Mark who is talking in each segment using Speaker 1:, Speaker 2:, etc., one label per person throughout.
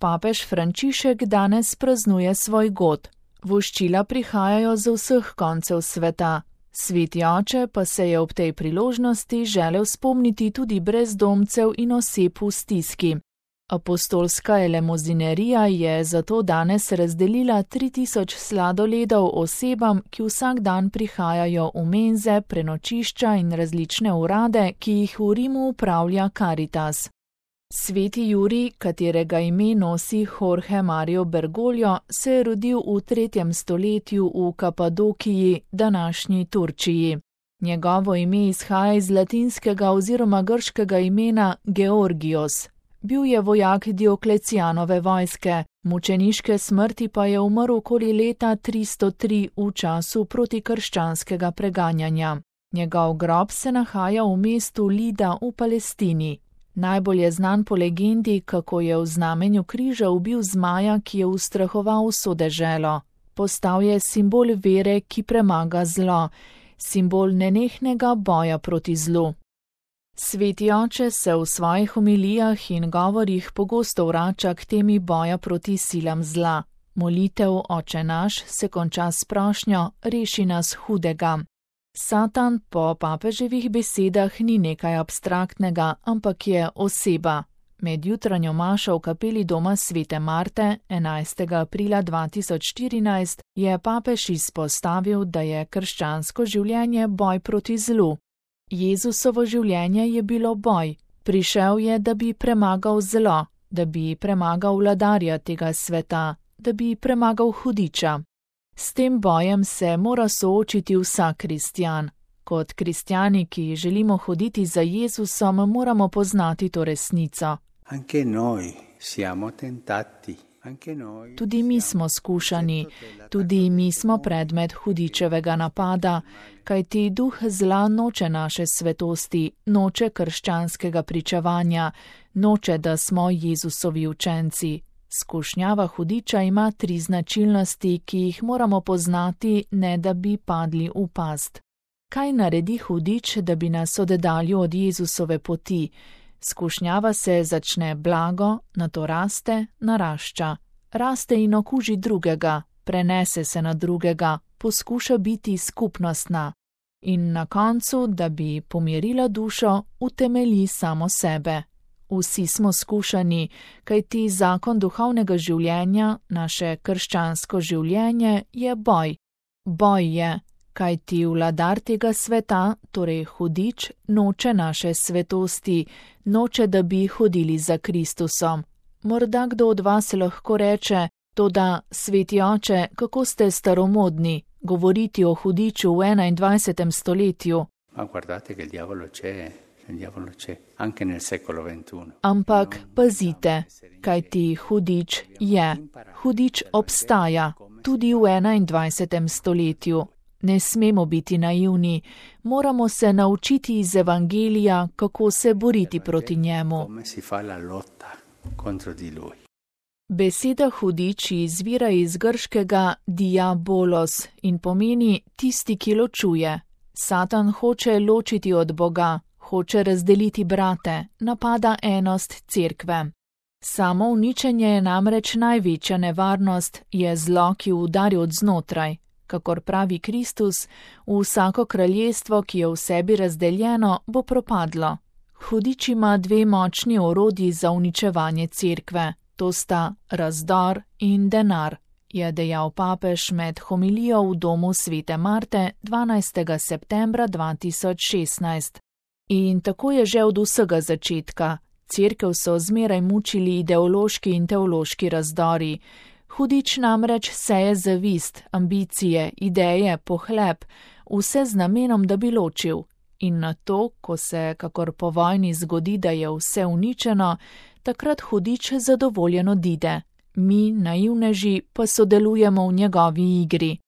Speaker 1: papež Frančišek danes praznuje svoj god. Voščila prihajajo z vseh koncev sveta. Sveti oče pa se je ob tej priložnosti želel spomniti tudi brezdomcev in oseb v stiski. Apostolska elemozinerija je zato danes razdelila 3000 sladoledov osebam, ki vsak dan prihajajo v menze, prenočišča in različne urade, ki jih v Rimu upravlja Caritas. Sveti Jurij, katerega ime nosi Jorge Mario Bergoglio, se je rodil v 3. stoletju v Kapadokiji, današnji Turčiji. Njegovo ime izhaja iz latinskega oziroma grškega imena Georgios. Bil je vojak Dioklecijanove vojske, mučeniške smrti pa je umrl okoli leta 303 v času protikrščanskega preganjanja. Njegov grob se nahaja v mestu Lida v Palestini. Najbolj je znan po legendi, kako je v znamenju križa ubil zmaja, ki je ustrahoval vso deželo. Postal je simbol vere, ki premaga zlo, simbol nenehnega boja proti zlu. Sveti oče se v svojih homilijah in govorih pogosto vrača k temi boja proti silam zla. Molitev Oče naš se konča s prošnjo: reši nas hudega. Satan po papeževih besedah ni nekaj abstraktnega, ampak je oseba. Med jutranjo mašo v kapeli doma svete Marte 11. aprila 2014 je papež izpostavil, da je krščansko življenje boj proti zlu. Jezusovo življenje je bilo boj. Prišel je, da bi premagal zlo, da bi premagal vladarja tega sveta, da bi premagal hudiča. S tem bojem se mora soočiti vsak kristjan. Kot kristjani, ki želimo hoditi za Jezusom, moramo poznati to resnico. Tudi mi smo skušani, tudi mi smo predmet hudičevega napada, kajti duh zla noče naše svetosti, noče krščanskega pričevanja, noče, da smo Jezusovi učenci. Skušnjava hudiča ima 3 značilnosti, ki jih moramo poznati, ne da bi padli v past. Kaj naredi hudič, da bi nas oddaljil od Jezusove poti? Skušnjava se začne blago, nato raste, narašča. Raste in okuži drugega, prenese se na drugega, poskuša biti skupnostna. In na koncu, da bi pomirila dušo, utemelji samo sebe. Vsi smo skušani, kajti zakon duhovnega življenja, naše krščansko življenje, je boj. Boj je, kajti vladar tega sveta, torej hudič, noče naše svetosti, noče, da bi hodili za Kristusom. Morda kdo od vas lahko reče: toda, sveti oče, kako ste staromodni, govoriti o hudiču v 21. stoletju. Ampak pazite, kajti hudič je. Hudič obstaja, tudi v 21. stoletju. Ne smemo biti naivni, moramo se naučiti iz Evangelija, kako se boriti proti njemu. Beseda hudič izvira iz grškega diabolos in pomeni tisti, ki ločuje. Satan hoče ločiti od Boga, hoče razdeliti brate, napada enost cerkve. Samo uničenje je namreč največja nevarnost, je zlo, ki udari od znotraj. Kakor pravi Kristus, vsako kraljestvo, ki je v sebi razdeljeno, bo propadlo. Hudič ima 2 močni orodji za uničevanje cerkve, to sta razdor in denar, je dejal papež med homilijo v domu svete Marte 12. septembra 2016. In tako je že od vsega začetka. Cerkev so zmeraj mučili ideološki in teološki razdori. Hudič namreč seje zavist, ambicije, ideje, pohlep, vse z namenom, da bi ločil. In na to, ko se kakor po vojni zgodi, da je vse uničeno, takrat hudič zadovoljen odide. Mi, naivneži, pa sodelujemo v njegovi igri.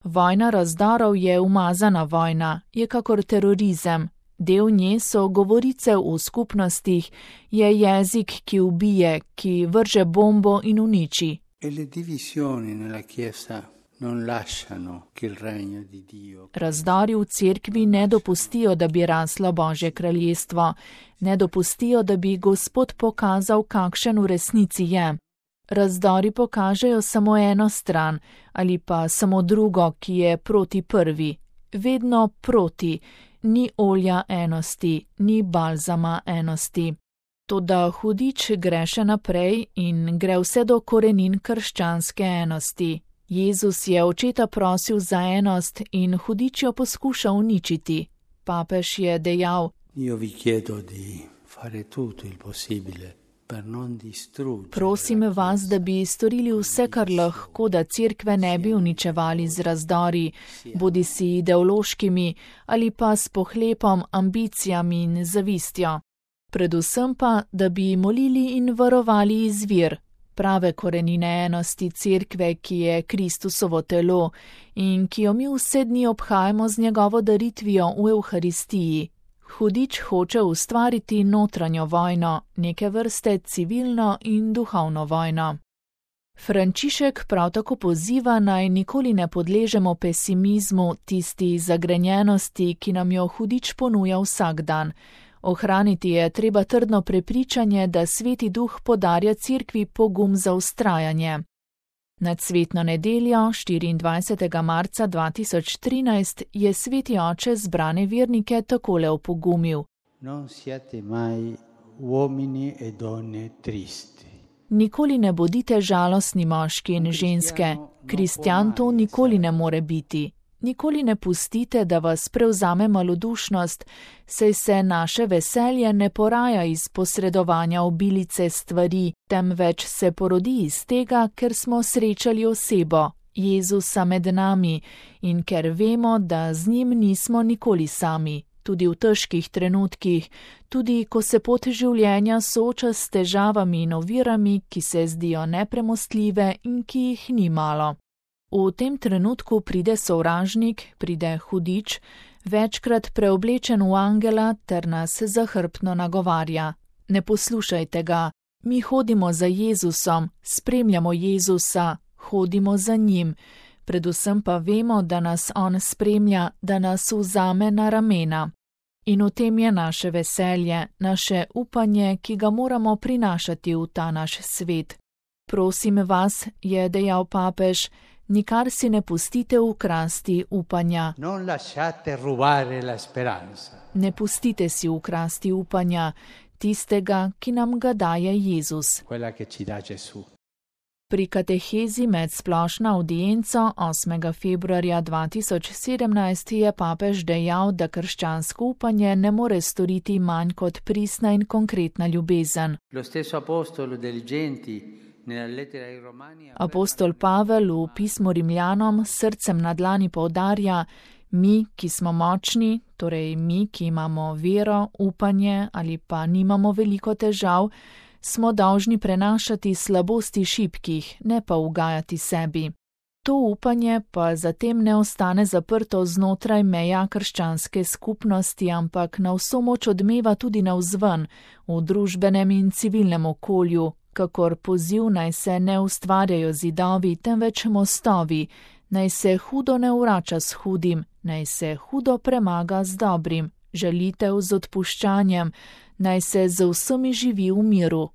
Speaker 1: Vojna razdorov je umazana vojna, je kakor terorizem. Del nje so govorice v skupnostih, je jezik, ki ubije, ki vrže bombo in uniči. Razdori v cerkvi ne dopustijo, da bi raslo Božje kraljestvo, ne dopustijo, da bi Gospod pokazal, kakšen v resnici je. Razdori pokažejo samo eno stran ali pa samo drugo, ki je proti prvi. Vedno proti, ni olja enosti, ni balzama enosti. Toda hudič gre še naprej in gre vse do korenin krščanske enosti. Jezus je očeta prosil za enost in hudič jo poskuša uničiti. Papež je dejal: Prosim vas, da bi storili vse, kar lahko, da cerkve ne bi uničevali z razdori, bodisi ideološkimi ali pa s pohlepom, ambicijami in zavistjo. Predvsem pa, da bi molili in varovali izvir, prave korenine enosti cerkve, ki je Kristusovo telo in ki jo mi vse dni obhajamo z njegovo daritvijo v Evharistiji. Hudič hoče ustvariti notranjo vojno, neke vrste civilno in duhovno vojno. Frančišek prav tako poziva, naj nikoli ne podležemo pesimizmu, tisti zagrenjenosti, ki nam jo hudič ponuja vsak dan. Ohraniti je treba trdno prepričanje, da Sveti Duh podarja cerkvi pogum za vztrajanje. Nad svetno nedeljo, 24. marca 2013, je Sveti Oče zbrane vernike takole opogumil: Nikoli ne bodite žalostni moški in ženske, kristjan to nikoli ne more biti. Nikoli ne pustite, da vas prevzame malodušnost, saj se naše veselje ne poraja iz posredovanja obilice stvari, temveč se porodi iz tega, ker smo srečali osebo, Jezusa med nami, in ker vemo, da z njim nismo nikoli sami, tudi v težkih trenutkih, tudi ko se pot življenja sooča s težavami in ovirami, ki se zdijo nepremostljive in ki jih ni malo. V tem trenutku pride sovražnik, pride hudič, večkrat preoblečen v angela ter nas zahrbtno nagovarja: Ne poslušajte ga, mi hodimo za Jezusom, spremljamo Jezusa, hodimo za njim, predvsem pa vemo, da nas on spremlja, da nas vzame na ramena. In v tem je naše veselje, naše upanje, ki ga moramo prinašati v ta naš svet. Prosim vas, je dejal papež, nikar si ne pustite ukrasti upanja. Ne pustite si ukrasti upanja, tistega, ki nam ga daje Jezus. Pri katehezi med splošno avdienco 8. februarja 2017 je papež dejal, da krščansko upanje ne more storiti manj kot pristna in konkretna ljubezen. Apostol Pavel v pismu Rimljanom s srcem na dlani poudarja: mi, ki smo močni, torej mi, ki imamo vero, upanje ali pa nimamo veliko težav, smo dolžni prenašati slabosti šibkih, ne pa ugajati sebi. To upanje pa zatem ne ostane zaprto znotraj meja krščanske skupnosti, ampak na vso moč odmeva tudi navzven, v družbenem in civilnem okolju, kakor poziv naj se ne ustvarjajo zidovi, temveč mostovi, naj se hudo ne vrača s hudim, naj se hudo premaga z dobrim, žalitev z odpuščanjem, naj se z vsemi živi v miru.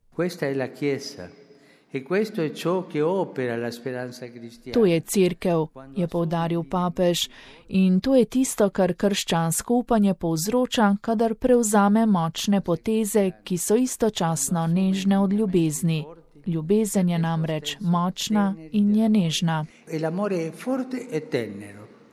Speaker 1: To je cerkev, je poudaril papež, in to je tisto, kar krščansko upanje povzroča, kadar prevzame močne poteze, ki so istočasno nežne od ljubezni. Ljubezen je namreč močna in je nežna.